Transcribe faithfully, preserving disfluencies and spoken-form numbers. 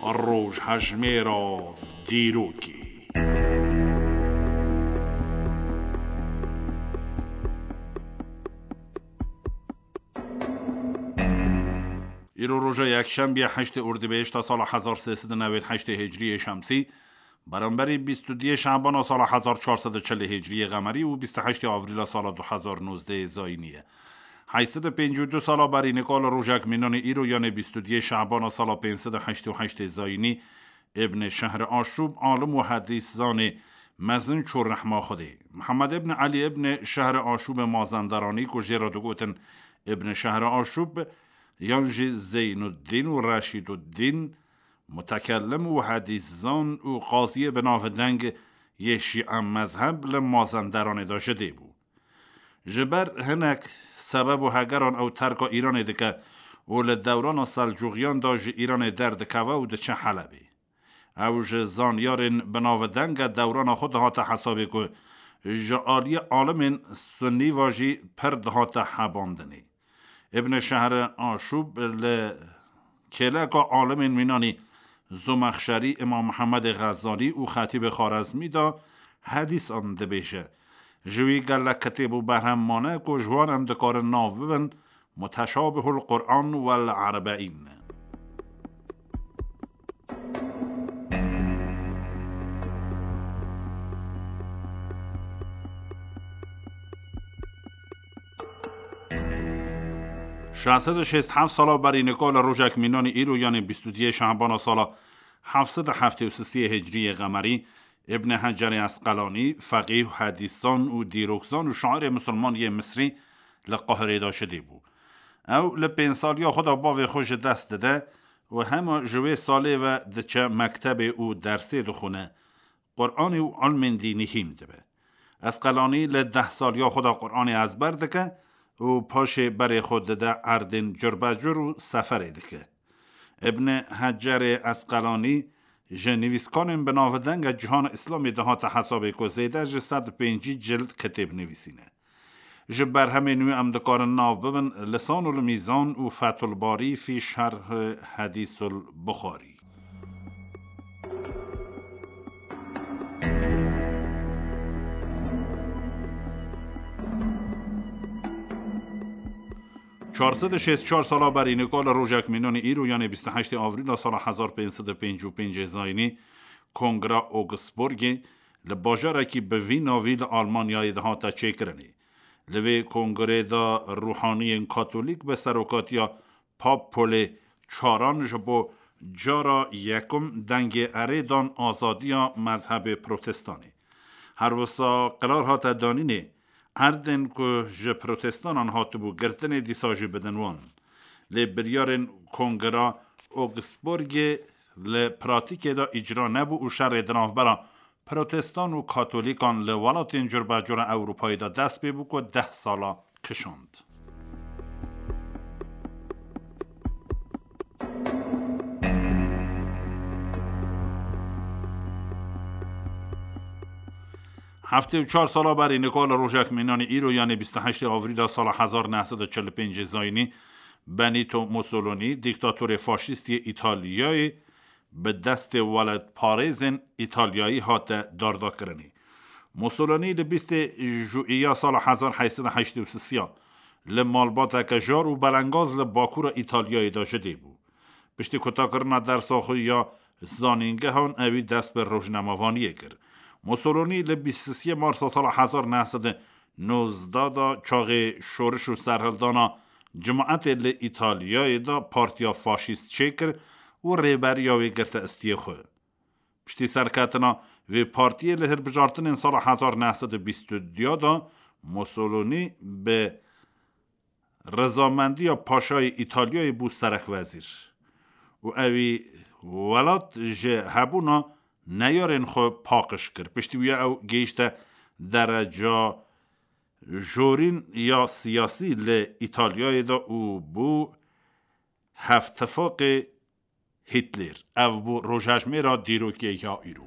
Rojhejmêra dîrokê. Îro roja yekşembiye heştê Ordibêhişta sala hezar sê sed û newêd heştê Hicriyê Şemsî, beramberî bîst û duyê Şebana sala hezar çar sed û çil Hicriyê Qemerî û bîst û heştê Avrîla sala du hezar nozdehê Zayînî ye. Heyt sed û pêncî û du sala berî nika li rojek mînanî îro, yanê bîst û duyê Şebana sala pênc sed û heştê û heştê Zayînî, Îbn Şehr Aşûb, alim û hedîszanê mezin çû rehma Xwedê. Mihemed îbn Elî îbn Şehr Aşûbê Mazenderanî ku jê re digotin Îbn Şehr Aşûb, yan jî Zeynuddîn û Reşîduddîn, mutekellim û hedîszan û qaziyê bi navdeng yê Şîe mezheb li Mazenderanê de ji dê bû. Ji ber hinek sebeb û hegeran ew terka Îranê dike û li dewrana Selcûxiyan de ji Îranê derdikeve û diçe Helebê. Ew ji zanyarên bi navdenge dewrana xwe dihate hesabê ku ji aliyê alimên Sunnî ve jî pir dihate hebandinê. Îbn Şehr Aşûb li kêleka alimên mînanî Zomexşerî, Îmam Mihemedê Xezalî û Xetîbê Xarezmî de hedîsan dibêje. Ji wî gelek kitêb û berhem mane ku ji wan em dikarin nav bibin Muteşabihul Quran wel Erbeîn. Şeş sed û şêst heft sala berî nika li rojek mînanî îro, yanê bîst û duyê Şebana sala heft sed û heftê û sisiyê Hicriyê Qemerî, Îbn Hecerê Esqelanî, feqîh, hedîsan û dîrokzan û şairê misilman yê Misrî li Qahirê de ji dê bû. Ew li pênc saliya xwe de bavê xwe ji dest dide û hema ji wê salê ve diçe mektebê û dersê dixwine. Quranê û ilmên dînî hîn dibe. Esqelanî li deh saliya xwe de Quranê ezber dike û paşê berê xwe dide erdên curbecur û seferê dike. Îbn Hecerê Esqelanî ji nivîskanên bi navdenge cîhana Îslamê dihate hesabê ku zêde ji sed û pêncî cild kitêb nivîsîne. Ji berhemên wî em dikarin nav bibin Lisanul Mîzan û Fethul Barî fî Şerh Hedîsul Buxarî. Çar sed û şêst û çar sala berî nika li rojek mînanî îro, yanê bîst û heştê Avrîla sala hezar pênc sed û pêncî û pêncê Zayînî, Kongra Augsburgê li bajarekî bi vî navî li Almanyayê dihate çêkirinê. Li vê kongrê de ruhaniyên katolîk bi serokatiya Pap Polê Çaran ji bo cara yekum dengê erê dan azadiya mezhebê protestanê. Her wisa qerar hate danînê, erdên ku ji protestanan hatibû girtinê dîsa jî bidin wan. Lê biryarên Kongra Augsburgê li pratîkê de îcra nebû û şerê di navbera protestan û katolîkan li welatên curbecura Ewropayê de dest pê bû ku deh sala kişand. Heftê û çar sala berî nika li rojek mînanî îro, yanê bîst û heştê Avrîla sala hezar neh sed û çil û pêncê Zayînî, Benito Mussolini, dîktatorê faşîst yê Îtalyayê, bi destê welatparêzên Îtalyayî hate dardakirinê. Mussolini li bîstê Jûiya sala hezar heyt sed û heştê û sisiya li malbateke jar û belengaz li bakûra Îtalyayê de ji dê bû. Piştî kutakirina dersa xwe ya zanîngehan, ewî dest bi rojnamevaniyê kir. Mussolini li bîst û sisiyê Marsa sala hezar neh sed û nozdeh de çaxê şoriş û serhildana cemaetê li Îtalyayê de partiya faşîst çêkir û rêberiya wê girte istiyê xwe. Piştî serketina vê partiyê li hilbijartinên sala hezar neh sed û bîst û du de Mussolini bi rizamendiya paşayê Îtalyayê bû serekwezîr û ewî welat ji hebûna neyarên xwe paqij kir. Piştî wî ew gihîşte dereca jorîn ya siyasî li Îtalyayê de û bû hevtifaqê Hitler. Ev bû rojhejmêra dîrokê ya îro.